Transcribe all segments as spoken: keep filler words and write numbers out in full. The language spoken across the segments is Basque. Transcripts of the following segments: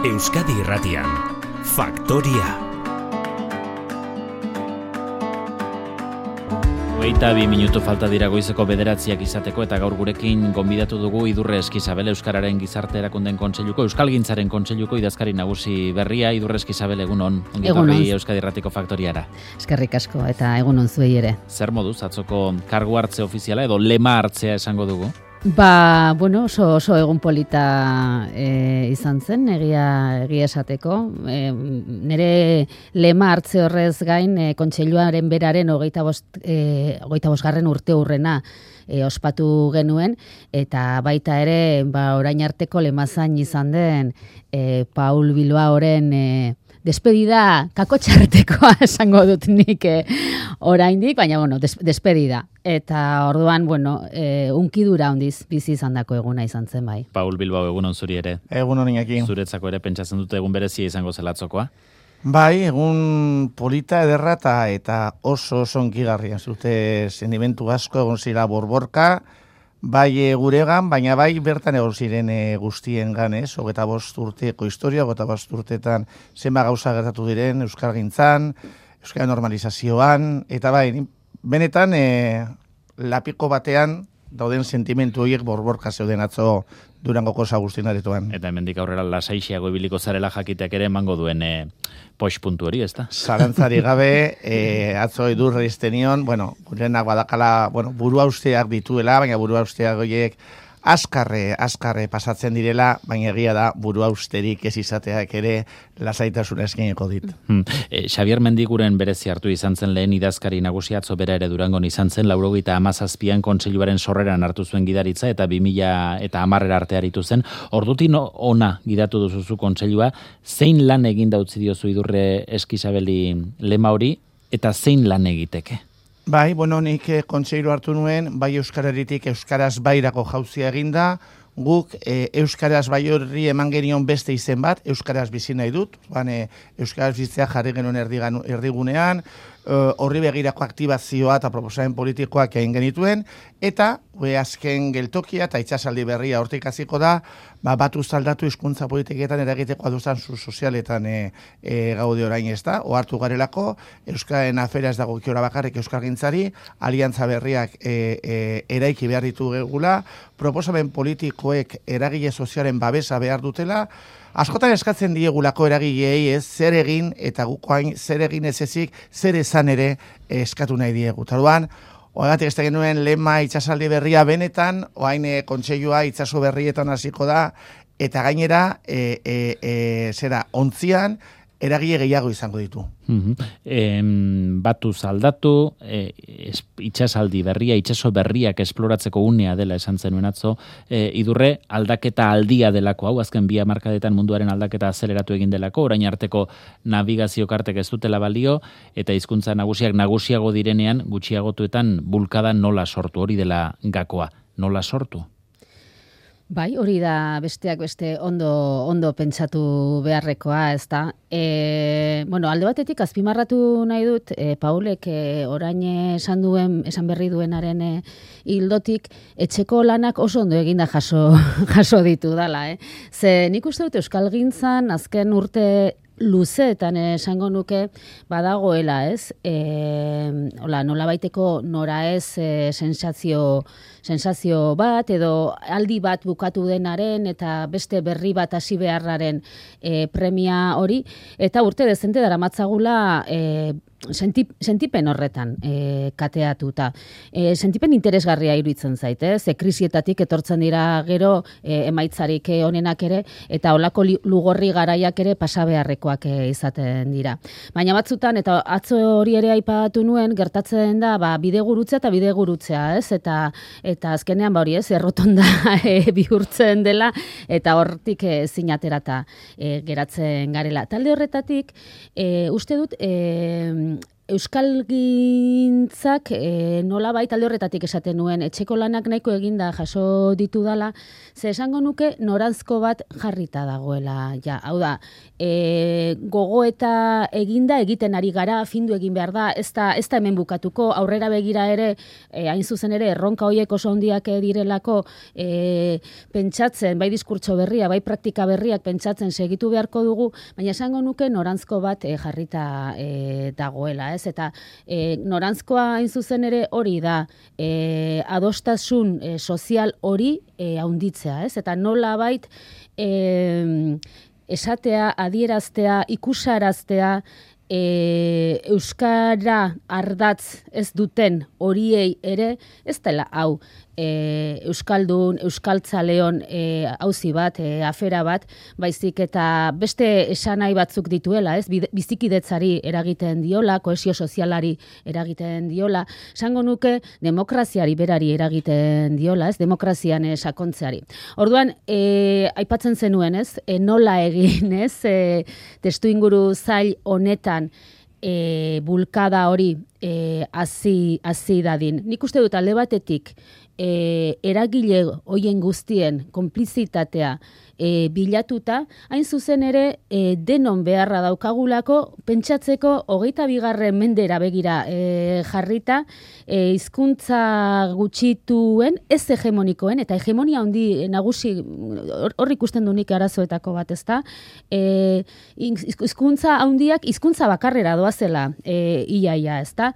Euskadi Irratian, Faktoria. Hogeita bi minutu falta dira goizeko bederatziak izateko eta gaur gurekin gonbidatu dugu Idurre Eskizabel, Euskararen Gizarte Erakundeen Kontseiluko, Euskalgintzaren Kontseiluko idazkari nagusi berria. Idurre Eskizabel, egunon, ongitorri Euskadi Irratiko Faktoriara. Eskerrik asko eta egunon zuei ere. Zer moduz, atzoko kargu hartze ofiziala edo lema hartzea esango dugu? Ba, bueno, oso, oso egun polita e, izan zen, egia, egia esateko. E, nire lema hartze horrez gain, e, kontseiluaren beraren hogeita bost, e, hogeita bosgarren urte hurrena e, ospatu genuen, eta baita ere, ba, orain arteko lemazan izan den e, Paul Bilbaoren e, despedida kakotxartekoa esango dut nik eh, oraindik, baina bueno, des, despedida. Eta orduan, bueno, eh, unkidura hondiz bizi izandako eguna izan zen bai. Paul Bilbao, egunon zuri ere. Egunon Iñaki. Zuretzako ere pentsatzen dute egun berezia izango zelatzokoa? Bai, egun polita ederra eta, eta oso oso onkigarria. Zute sentimentu asko egon zira borborka, bai e, guregan, baina bai bertan egon ziren e, guztien ganez, hogeita bost urteko historia, hogeita bost urteetan zenba gauza gertatu diren, euskalgintzan, euskal normalizazioan, eta bai, benetan e, lapiko batean dauden sentimentu horiek borborka zeuden atzo Durangoko Sagustin aretoan. Eta hemendik aurrera lasaixiago ibiliko zarela jakiteak ere emango duen e, poix puntu hori, ezta? Zalantzari gabe, e, atzo Idurre iztenion, bueno, gurenak badakala, bueno, burua usteak dituela, baina burua usteak horiek askarre, askarre pasatzen direla, baina egia da burua usterik ez izateak ere lasaitasuna eskeneko dit. Hmm. E, Xabier Mendiguren berezi hartu izan zen lehen idazkari nagusia, atzo bera ere Durangon izan zen, laurogeita hamazazpian kontseiluaren sorreran hartu zuen gidaritza eta bi mila eta hamarrera arte aritu zen. Ordutik ona gidatu duzuzu kontseilua, zein lan egin utzi diozu Idurre Eskizabeli lema hori eta zein lan egiteke? Bai, bueno, nik eh, kontseilu hartu nuen, bai euskararitik euskaraz bairako jauzia eginda, guk e, euskaraz bai horri eman genion beste izen bat, euskaraz bizi nahi dut, ban, e, euskaraz bizitzea jarri genuen erdigan, erdigunean, horri begirako aktibazioa eta proposamen politikoak egin genituen, eta we azken geltokia eta itxasaldi berria hortik hasiko da, ba, batu zaldatu hizkuntza politiketan eragiteko aduzan zu sozialetan e, e, gaude orain ez da, ohartu garelako, Euskaren afera ez dago kiora bakarrik euskalgintzari, aliantza berriak e, e, eraiki behar ditu gegula, proposamen politikoek eragile sozialen babesa behar dutela, askotan eskatzen diegulako eragileei ez zer egin eta gukoain zer egin ez ezik, zer esan ere eskatu nahi diegu. Taruan, oagatik ez da genuen lema itxasaldi berria benetan, oain e, kontseilua itxaso berrietan hasiko da, eta gainera, e, e, e, zera, ontzian, eragile gehiago izango ditu. Mm-hmm. em, batu zaldatu, e, itxasaldi berria, itxaso berriak esploratzeko unea dela esan zenuen atzo, e, Idurre aldaketa aldia delako, hau azken bi hamarkadetan munduaren aldaketa azeleratu egin delako, orain arteko navigazio kartek ez dutela balio, eta hizkuntza nagusiak nagusiago direnean, gutxiagotuetan bulkada nola sortu, hori dela gakoa, nola sortu? Bai, hori da besteak beste ondo ondo pentsatu beharrekoa, ez da. E, bueno, alde batetik azpimarratu nahi dut, e, Paulek e, orain esan duen, esan berri duenaren e, hildotik, etxeko lanak oso ondo eginda jaso, jaso ditu dala. Eh? Ze nik uste dut Euskalgintzan azken urte luzeetan esango nuke badagoela, ez? E, hola, nola baiteko nora ez e, sensazio, sensazio bat edo aldi bat bukatu denaren eta beste berri bat hasi beharraren e, premia hori, eta urte dezente daramatzagula e, Sentip, sentipen horretan e, kateatuta. E, sentipen interesgarria iruditzen zait, eh? Ze krisietatik etortzen dira gero e, emaitzarik onenak ere, eta olako lugorri garaiak ere pasabeharrekoak e, izaten dira. Baina batzutan, eta atzo hori ere aipatu nuen, gertatzen da ba, bidegurutzea eta bidegurutzea, ez? Eta, eta azkenean ba hori ez, errotonda e, bihurtzen dela, eta hortik e, zinaterata e, geratzen garela. Talde horretatik, e, uste dut, e, Euskalgintzak e, nola baita alde horretatik esaten nuen, etxeko lanak nahiko eginda jaso ditu dala, ze esango nuke noranzko bat jarrita dagoela. Ja, hau da, e, gogo eta eginda egiten ari gara, findu egin behar da, ez da, ez da hemen bukatuko, aurrera begira ere, e, hain zuzen ere, erronka horiek oso handiak direlako e, pentsatzen, bai diskurtso berria, bai praktika berriak pentsatzen segitu beharko dugu, baina esango nuke norantzko bat e, jarrita e, dagoela. Ez? Eta e, norantzkoa hain zuzen ere hori da e, adostasun e, sozial hori e, haunditzea, ez? Eta nola bait e, esatea, adieraztea, ikusaraztea, e, euskara ardatz ez duten horiei ere, ez dela hau e, euskaldun, euskaltzaleon e, auzi bat, e, afera bat, baizik eta beste esanai batzuk dituela, ez? Bizikidetzari eragiten diola, kohesio sozialari eragiten diola, esango nuke demokraziari berari eragiten diola, ez? Demokrazian e, sakontzeari. Orduan, e, aipatzen zenuen, ez? E, nola egin, ez? E, testu inguru zail honetan e, bulkada hori e, hazi, hazi dadin. Nik uste dut alde batetik e, eragile hoien guztien konplizitatea e, bilatuta, hain zuzen ere e, denon beharra daukagulako pentsatzeko hogeita bigarren mendera begira e, jarrita e, hizkuntza gutxituen ez hegemonikoen eta hegemonia handi nagusi hor ikusten du nik arazoetako bat, ezta? E, hizkuntza handiak hizkuntza bakarrera doazela e, iaia, ezta?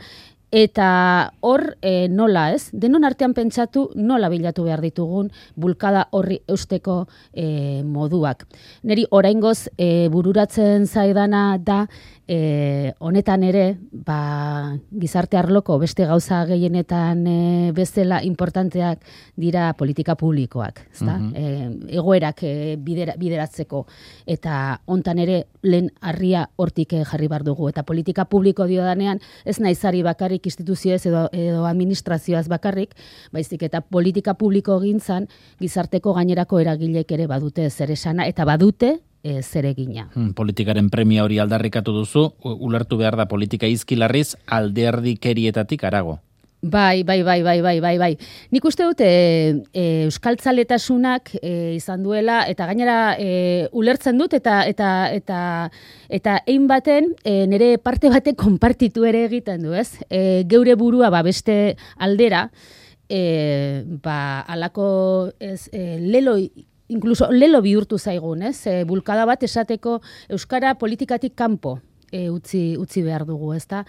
Eta hor e, nola, ez? Denon artean pentsatu nola bilatu behar ditugun bulkada horri eusteko e, moduak. Neri oraingoz e, bururatzen zaidana da e, honetan ere ba, gizarte arloko beste gauza gehienetan e, bezala importanteak dira politika publikoak, ezta? Mm-hmm. E, egoerak e, bidera, bideratzeko eta hontan ere lehen harria hortik jarri bar dugu eta politika publiko diodanean ez naizari bakarrik instituzioez edo, edo administrazioaz bakarrik, baizik eta politika publiko gintzan gizarteko gainerako eragilek ere badute zer esana eta badute e, zer egina. Hmm, politikaren premia hori aldarrikatu duzu, ulertu behar da politika izkilarriz alderdikerietatik arago. Bai, bai, bai, bai, bai, bai, bai. Nik uste dut e, e, euskaltzaletasunak e, izan duela eta gainera e, ulertzen dut eta eta eta eta ein baten e, nire parte batek konpartitu ere egiten du, ez? E, geure burua ba beste aldera e, ba alako ez e, lelo incluso lelo bihurtu zaigun, ez? E, bulkada bat esateko euskara politikatik kanpo E, utzi, utzi behar dugu, ezta?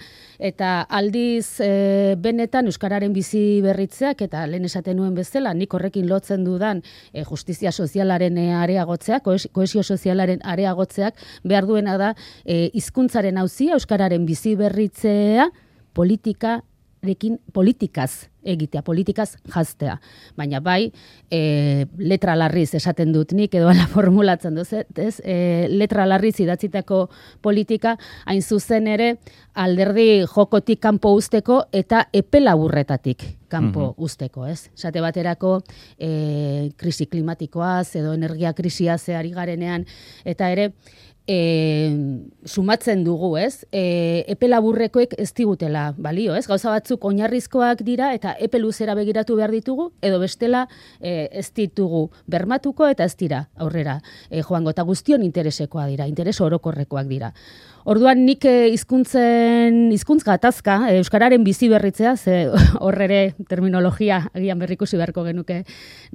Eta aldiz e, benetan euskararen bizi berritzeak eta lehen esaten nuen bezala, nik horrekin lotzen dudan e, justizia sozialaren e, areagotzeak, kohesio sozialaren areagotzeak behar duena da e, hizkuntzaren auzia, euskararen bizi berritzea, politika rekin politikaz egitea, politikaz jaztea. Baina bai, e, letra larriz esaten dut nik, edo ala formulatzen duz, ez? E, letra larriz idatzitako politika, hain zuzen ere, alderdi jokotik kanpo usteko eta epe laburretatik kanpo mm-hmm. usteko, ez? Esate baterako, e, krisi klimatikoaz, edo energia krisia zeari garenean, eta ere, E, sumatzen dugu, ez? E, epe laburrekoek ez digutela balio, ez? Gauza batzuk oinarrizkoak dira eta epe luzera begiratu behar ditugu, edo bestela e, ez ditugu bermatuko eta ez dira aurrera e, joango eta guztion interesekoa dira, interes orokorrekoak dira. Orduan nik hizkuntzen hizkuntz gatazka, euskararen bizi berritzea, ze hor ere terminologia agian berrikusi beharko genuke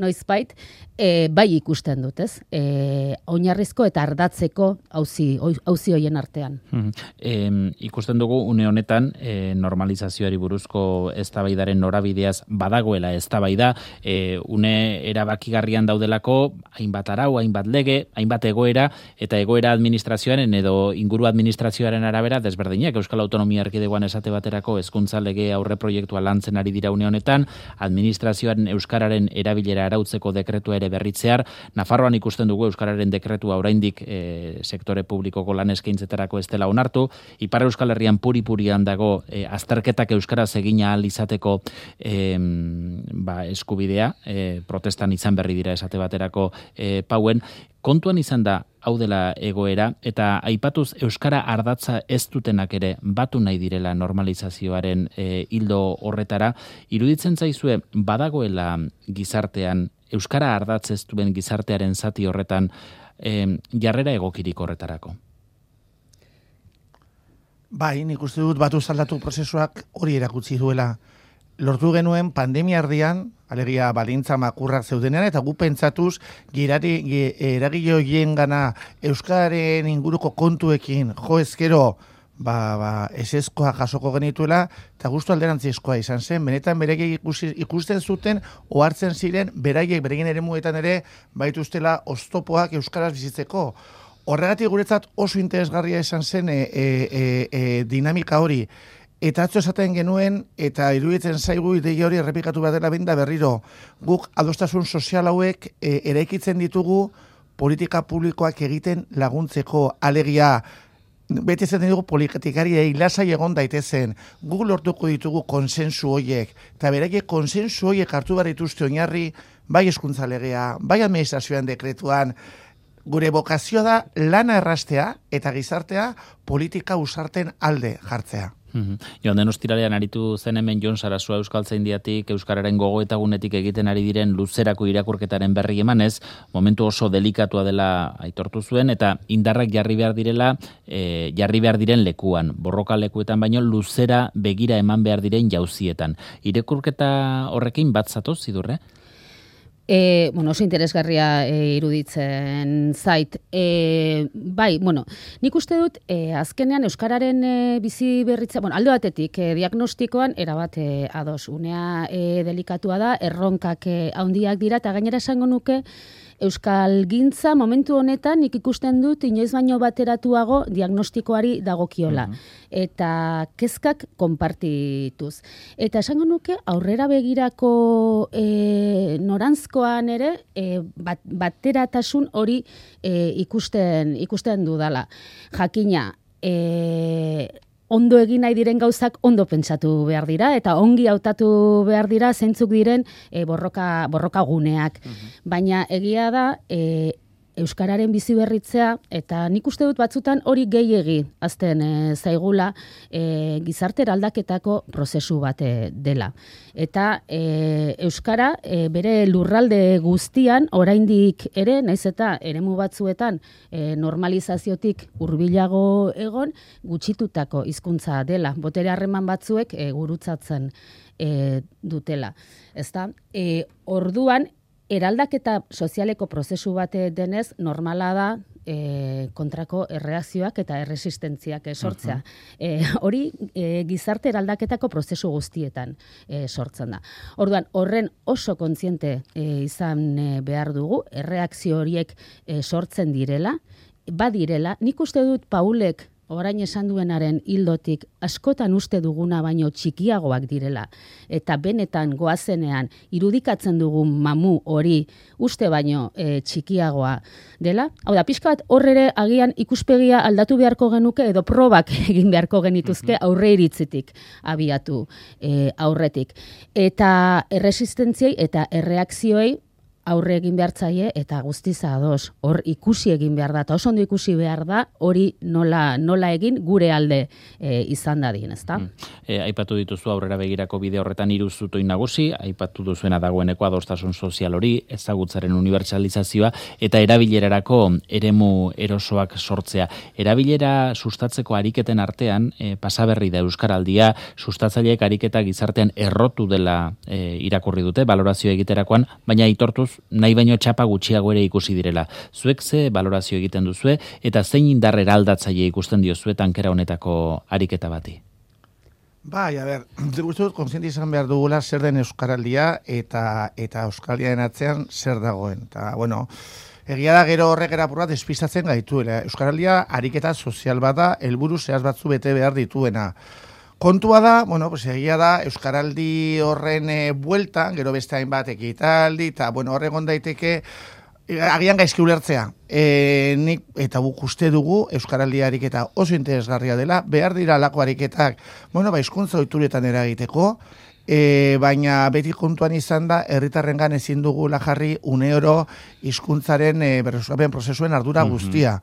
noizbait, e, bai ikusten dut, ez? E, oinarrizko eta ardatzeko auzi auzi hoien artean. Hmm. E, ikusten dugu une honetan e, normalizazioari buruzko eztabaidaren norabideaz badagoela eztabaida, e, une erabakigarrian daudelako hainbat arau, hainbat lege, hainbat egoera eta egoera administrazioaren edo inguru administrazioaren arabera desberdinak. Euskal Autonomia Erkidegoan esate baterako hezkuntza lege aurre proiektua lantzen ari dira une honetan, administrazioaren euskararen erabilera arautzeko dekretua ere berritzear, Nafarroan ikusten dugu euskararen dekretua oraindik e, sektore publikoko lan eskaintzetarako ez dela onartu, Ipar Euskal Herrian puri-purian dago e, azterketak euskaraz egina ahal izateko e, ba, eskubidea, e, protestan izan berri dira esate baterako e, pauen, kontuan izan da hau dela egoera, eta aipatuz euskara ardatza ez dutenak ere batu nahi direla normalizazioaren e, hildo horretara, iruditzen zaizue badagoela gizartean, euskara ardatz ez duen gizartearen zati horretan e, jarrera egokirik horretarako? Bai, nik uste dut batu zaldatu prozesuak hori erakutsi duela. Lortu genuen pandemia erdian, alegia balintza makurrak zeudenean, eta gu pentsatuz girari, eragile horien gana euskararen inguruko kontuekin jo ezkero ba, ba, esezkoa jasoko genituela, eta guztu alderantzizkoa izan zen, benetan beraiek ikusten zuten, ohartzen ziren, beraiek beraien eremuetan ere baituztela oztopoak euskaraz bizitzeko. Horregatik guretzat oso interesgarria izan zen e, e, e, e, dinamika hori. Eta atzo esaten genuen, eta iruditzen zaigu ideia hori errepikatu behar dela benda berriro. Guk adostasun sozial hauek e, eraikitzen ditugu politika publikoak egiten laguntzeko alegia. Beti zaten dugu politikariei lasai egon daitezen. Guk lortuko ditugu konsensu horiek. Eta beraiek konsensu horiek hartu behar dituzte oinarri, bai hezkuntza legea, bai administrazioan dekretuan. Gure bokazioa da lana errastea eta gizartea politika usarten alde jartzea. Mm-hmm. Joan den ostiralean aritu zen hemen Jon Sarasua Euskaltzaindiatik euskararen gogoetagunetik egiten ari diren luzerako irakurketaren berri emanez, momentu oso delikatua dela aitortu zuen eta indarrak jarri behar direla, e, jarri behar diren lekuan, borroka lekuetan baino luzera begira eman behar diren jauzietan. Irakurketa horrekin bat zatoz, Idurre? E, bueno, oso interesgarria e, iruditzen zait. E, bai, bueno, nik uste dut, e, azkenean Euskararen e, bizi berritza, bueno, alde batetik, e, diagnostikoan, erabat e, ados, unea e, delikatua da, erronkak e, handiak dira, eta gainera esango nuke, Euskal gintza momentu honetan nik ikusten dut inoiz baino bateratuago diagnostikoari dagokiola. Uh-huh. Eta kezkak konpartituz. Eta esango nuke aurrera begirako e, norantzkoan ere e, bat, bateratasun hori e, ikusten, ikusten dudala. Jakina, e, ondo egin nahi diren gauzak ondo pentsatu behar dira, eta ongi hautatu behar dira zeintzuk diren e, borroka, borroka guneak. Uh-huh. Baina egia da, e, Euskararen bizi berritzea, eta nik uste dut batzutan hori gehiegi azten e, zaigula e, gizarte eraldaketako prozesu bat dela. Eta e, Euskara e, bere lurralde guztian, oraindik ere, naiz eta eremu batzuetan e, normalizaziotik hurbilago egon, gutxitutako hizkuntza dela. Botere harreman batzuek e, gurutzatzen e, dutela. Ezta? E, orduan, eraldaketa sozialeko prozesu bate denez, normala da e, kontrako erreakzioak eta erresistentziak sortzea. Uh-huh. E, hori e, gizarte eraldaketako prozesu guztietan e, sortzen da. Orduan, horren oso kontziente e, izan e, behar dugu, erreakzio horiek e, sortzen direla, badirela, nik uste dut Paulek orain esan duenaren hildotik askotan uste duguna baino txikiagoak direla, eta benetan goazenean irudikatzen dugun mamu hori uste baino e, txikiagoa dela. Hau da, pixka bat horrere agian ikuspegia aldatu beharko genuke edo probak egin beharko genituzke aurre iritzitik abiatu e, aurretik. Eta erresistentziei eta erreakzioei aurre egin behar zaie eta guztiz ados. Hor ikusi egin behar da, eta oso ondo ikusi behar da, hori nola, nola egin gure alde e, izan dadin, ezta? Mm. E, aipatu dituzu aurrera begirako bide horretan hiru zutoi nagusi, aipatu duzuena dagoeneko adostasun sozial hori, ezagutzaren unibertsalizazioa eta erabilerarako eremu erosoak sortzea. Erabilera sustatzeko ariketen artean, e, pasaberri da Euskaraldia, sustatzaileek ariketa gizartean errotu dela e, irakurri dute, balorazio egiterakoan, baina aitortuz nahi baino txapa gutxiago ere ikusi direla. Zuek ze balorazio egiten duzue eta zein indar eraldatzaile ikusten diozue tankera honetako ariketa bati? Bai, a ber, uste dut kontziente izan behar dugula zer den Euskaraldia eta eta Euskaldiaren atzean zer dagoen. Eta, bueno, egia da gero horrek erapurra despistatzen gaituela. Euskaraldia ariketa sozial bada, helburu zehaz batzu bete behar dituena. Kontua da, bueno, pues egia da, Euskaraldi horren e, bueltan, gero beste hainbat ekitaldi, eta, bueno, horregon daiteke, e, agian gaizki ulertzea. E, nik, eta guk uste dugu, Euskaraldi ariketa oso interesgarria dela, behar dira alako ariketak, bueno, ba, hizkuntza ohituretan eragiteko, E, baina beti kontuan izan da, herritarrengan ezin dugula jarri une oro hizkuntzaren e, berreskurapen prozesuen ardura guztia.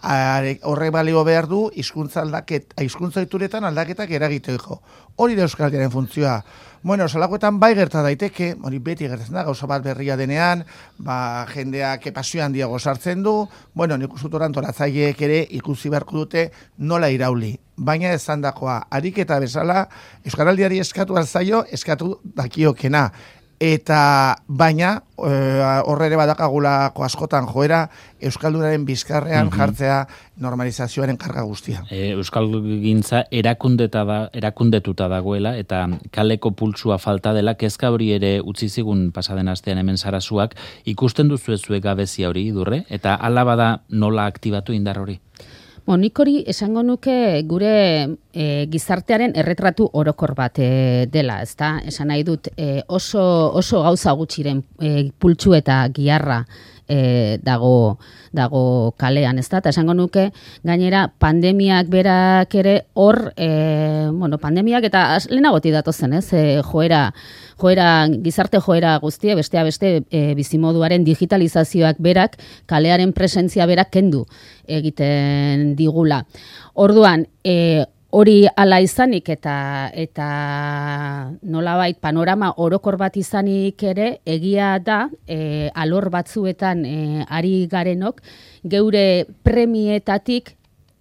Are, horrek balio behar du hizkuntza aldaket, hizkuntza ohituretan aldaketak eragiteko. Hori da euskararen funtzioa. Bueno, salakoetan bai gerta daiteke, hori beti gertatzen da, gauza bat berria denean, ba, jendeak pasio handiago sartzen du, bueno, nik uste dut antolatzaileek ere ikusi beharko dute nola irauli. Baina esandakoa, ariketa bezala, euskaraldiari eskatu alzaio, eskatu dakiokena. Eta baina horre ere badakagulako askotan joera euskaldunaren bizkarrean mm-hmm. jartzea normalizazioaren karga guztia. E, Euskalgintza erakundeta da, erakundetuta dagoela eta kaleko pultsua falta dela kezka hori ere utzi zigun pasaden astean hemen Sarasuak, ikusten duzu zuek gabezia hori Idurre eta hala bada nola aktibatu indar hori? Bon, nik hori esango nuke gure e, gizartearen erretratu orokor bat e, dela, ezta? Esan nahi dut e, oso, oso gauza gutxiren e, pultsu eta giharra e, dago, dago kalean, ezta? Eta esango nuke gainera pandemiak berak ere hor, e, bueno, pandemiak eta lehenagoti datozen, ez? E, joera, joera, gizarte joera guztia, bestea beste e, bizimoduaren digitalizazioak berak, kalearen presentzia berak kendu egiten digula. Orduan, e, hori hala izanik eta eta nolabait panorama orokor bat izanik ere egia da e, alor batzuetan e, ari garenok geure premietatik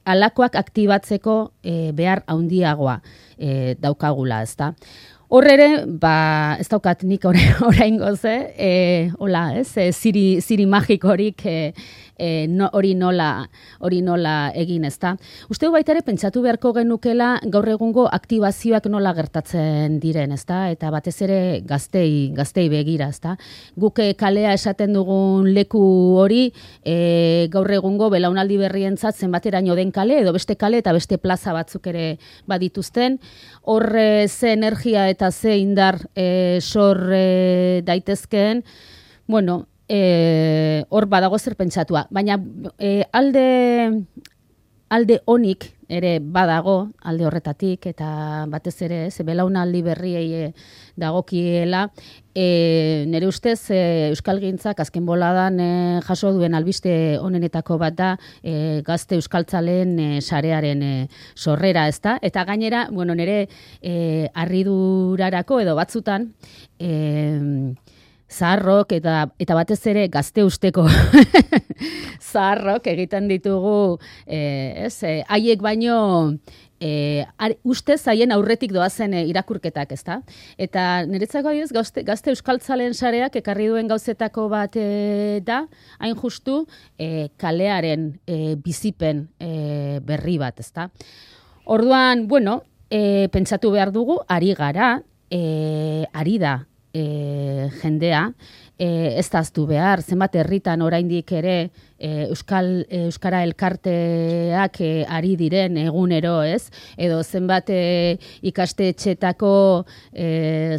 alakoak aktibatzeko e, behar handiagoa e, daukagula, ezta? Hor ere, ba, ez daukat nik oraingoz, eh, hola, ez, e, ziri, ziri magikorik e, e, no, hori nola, hori nola egin, ezta. Uste du baita ere pentsatu beharko genukela gaur egungo aktibazioak nola gertatzen diren, ezta, eta batez ere gaztei, gaztei begira, ezta. Guk kalea esaten dugun leku hori e, gaur egungo belaunaldi berrientzat zenbateraino den kale, edo beste kale eta beste plaza batzuk ere badituzten, hor ze energia eta ze indar e, sor e, daitezkeen, bueno, e, hor badago zer pentsatua. Baina e, alde, alde onik ere badago, alde horretatik, eta batez ere, ze belaunaldi berriei e, dagokiela, e, nire ustez e, Euskalgintzak azken boladan e, jaso duen albiste onenetako bat da e, gazte euskaltzaleen e, sarearen e, sorrera, ezta? Eta gainera, bueno, nire e, harridurarako edo batzutan, e, zaharrok eta eta batez ere gazte usteko zaharrok egiten ditugu eh, ez, eh, haiek baino eh, ustez haien aurretik doazen eh, irakurketak, ezta? Eta niretzako adibidez gazte, gazte euskaltzalen sareak ekarri duen gauzetako bat eh, da, hain justu eh, kalearen eh, bizipen eh, berri bat, ezta? Orduan, bueno, eh, pentsatu behar dugu, ari gara, eh, ari da, E, jendea, e, ez daztu behar, zenbat herritan oraindik ere e, Euskal, e, Euskara elkarteak e, ari diren egunero, ez? Edo zenbat e, ikastetxetako e,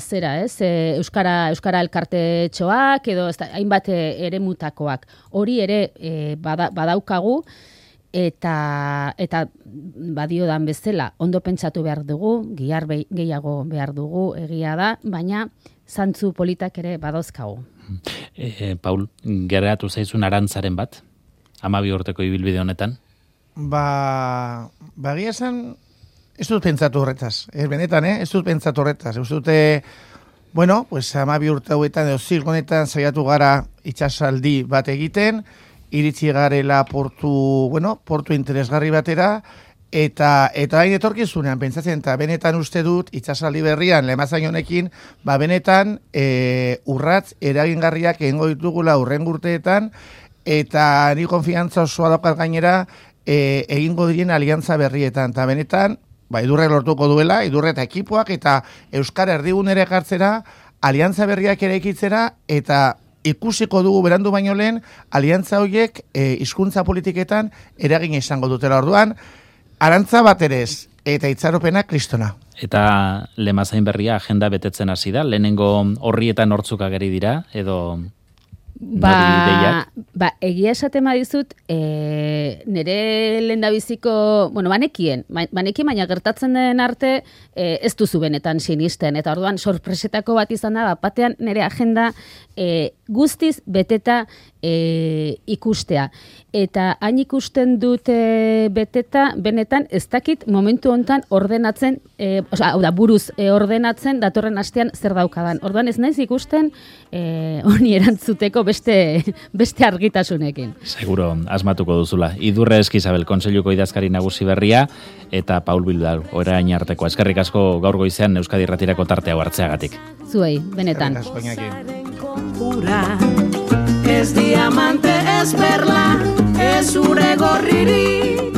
zera, ez? E, Euskara, Euskara elkartetxoak, edo ez da, hainbat eremutakoak. Hori ere e, bada, badaukagu, eta eta badiodan bezala ondo pentsatu behar dugu, gihar be, gehiago behar dugu, egia da, baina zantzu politak ere badozkagu. E, Paul, geratu zaizun arantzaren bat, hamabi urteko ibilbide honetan? Ba, bagia esan, ez dut pentsatu horretaz. Ez benetan, eh? ez dut pentsatu horretaz. Ez dute, bueno, pues hamabi urte hauetan, edo zirk honetan saiatu gara itxasaldi bat egiten, iritsi garela portu, bueno, portu interesgarri batera, eta eta hain etorkizunean pentsatzen, eta benetan uste dut itxasaldi berrian lemazain honekin, ba benetan e, urratz eragingarriak egingo ditugula hurrengo urteetan, eta ni konfiantza osoa daukat gainera e, egingo diren aliantza berrietan, eta benetan ba Idurre lortuko duela, Idurre eta ekipoak eta Euskara erdigunera ekartzera, aliantza berriak eraikitzera, eta ikusiko dugu berandu baino lehen, aliantza horiek e, hizkuntza politiketan eragin izango dutela. Orduan, arantza bat ere ez, eta itxaropena kristona. Eta lemazain berria agenda betetzen hasi da, lehenengo horrietan hortzuk ageri dira, edo... Ba, ba, egia esatema dizut, e, nire lehendabiziko, bueno, banekien, banekien, baina gertatzen den arte e, ez duzu benetan sinisten, eta orduan sorpresetako bat izan da, batean nire agenda e, guztiz beteta e, ikustea. Eta hain ikusten dut e, beteta, benetan ez dakit momentu hontan ordenatzen, e, oza, hau da, buruz e, ordenatzen datorren astean zer daukadan. Orduan ez naiz ikusten e, honi erantzuteko beste, beste argitasunekin. Seguro, asmatuko duzula. Idurre Eskizabel, Kontseiluko idazkari nagusi berria, eta Paul Bilbao, orain arteko. Eskerrik asko gaur goizean Euskadi Irratirako tartea hartzeagatik. Zuei, benetan. Ez diamante, ez perla, ez ure gorririk.